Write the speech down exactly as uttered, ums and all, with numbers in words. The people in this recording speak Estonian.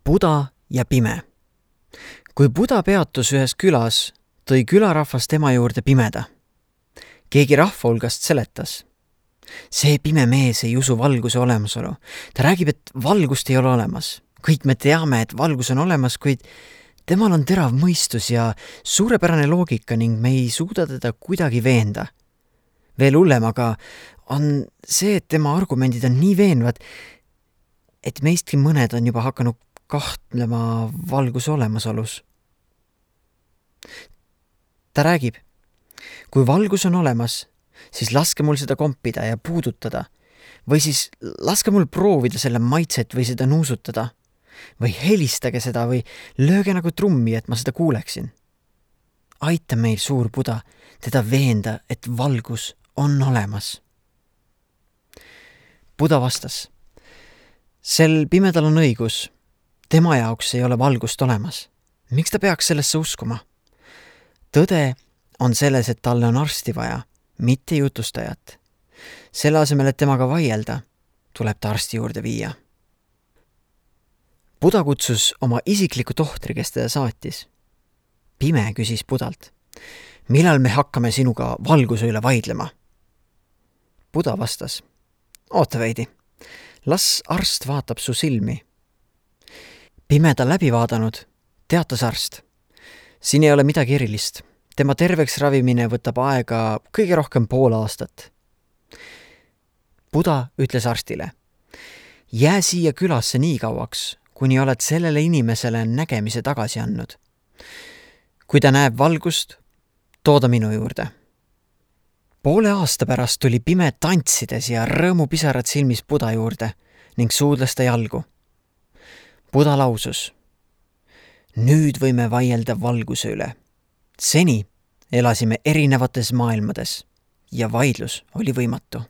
Buda ja pime. Kui Buda peatus ühes külas, tõi külarahvas tema juurde pimeda. Keegi rahva hulgast seletas. See pime mees ei usu valguse olemasolu. Ta räägib, et valgust ei ole olemas. Kõik me teame, et valgus on olemas, kuid temal on terav mõistus ja suurepärane loogika ning me ei suuda teda kuidagi veenda. Veel hullem aga on see, et tema argumendid on nii veenvad, et meistki mõned on juba hakanud kahtlema valguse olemasolus. Ta räägib, kui valgus on olemas, siis laske mul seda kompida ja puudutada, või siis laske mul proovida selle maitset või seda nuusutada, või helistage seda või lööge nagu trummi, et ma seda kuuleksin. Aita meil, suur Buda, teda veenda, et valgus on olemas. Buda vastas, sel pimedal on õigus. Tema jaoks ei ole valgust olemas. Miks ta peaks sellesse uskuma? Tõde on selles, et talle on arsti vaja, mitte jutustajat. Selle asemel, et temaga vaielda, tuleb ta arsti juurde viia. Buda kutsus oma isikliku tohtri, kes teda saatis. Pime küsis Budalt, millal me hakkame sinuga valguse üle vaidlema? Buda vastas, oota veidi, las arst vaatab su silmi. Pimeda läbi vaadanud, teatas arst. Siin ei ole midagi erilist. Tema terveks ravimine võtab aega kõige rohkem pool aastat. Buda ütles arstile, jää siia külasse nii kauaks, kuni oled sellele inimesele nägemise tagasi andnud. Kui ta näeb valgust, tooda minu juurde. Poole aasta pärast tuli pime tantsides ja rõõmupisarad silmis Buda juurde ning suudles ta jalgu. Buda lausus, nüüd võime vaielda valguse üle. Seni elasime erinevates maailmades ja vaidlus oli võimatu.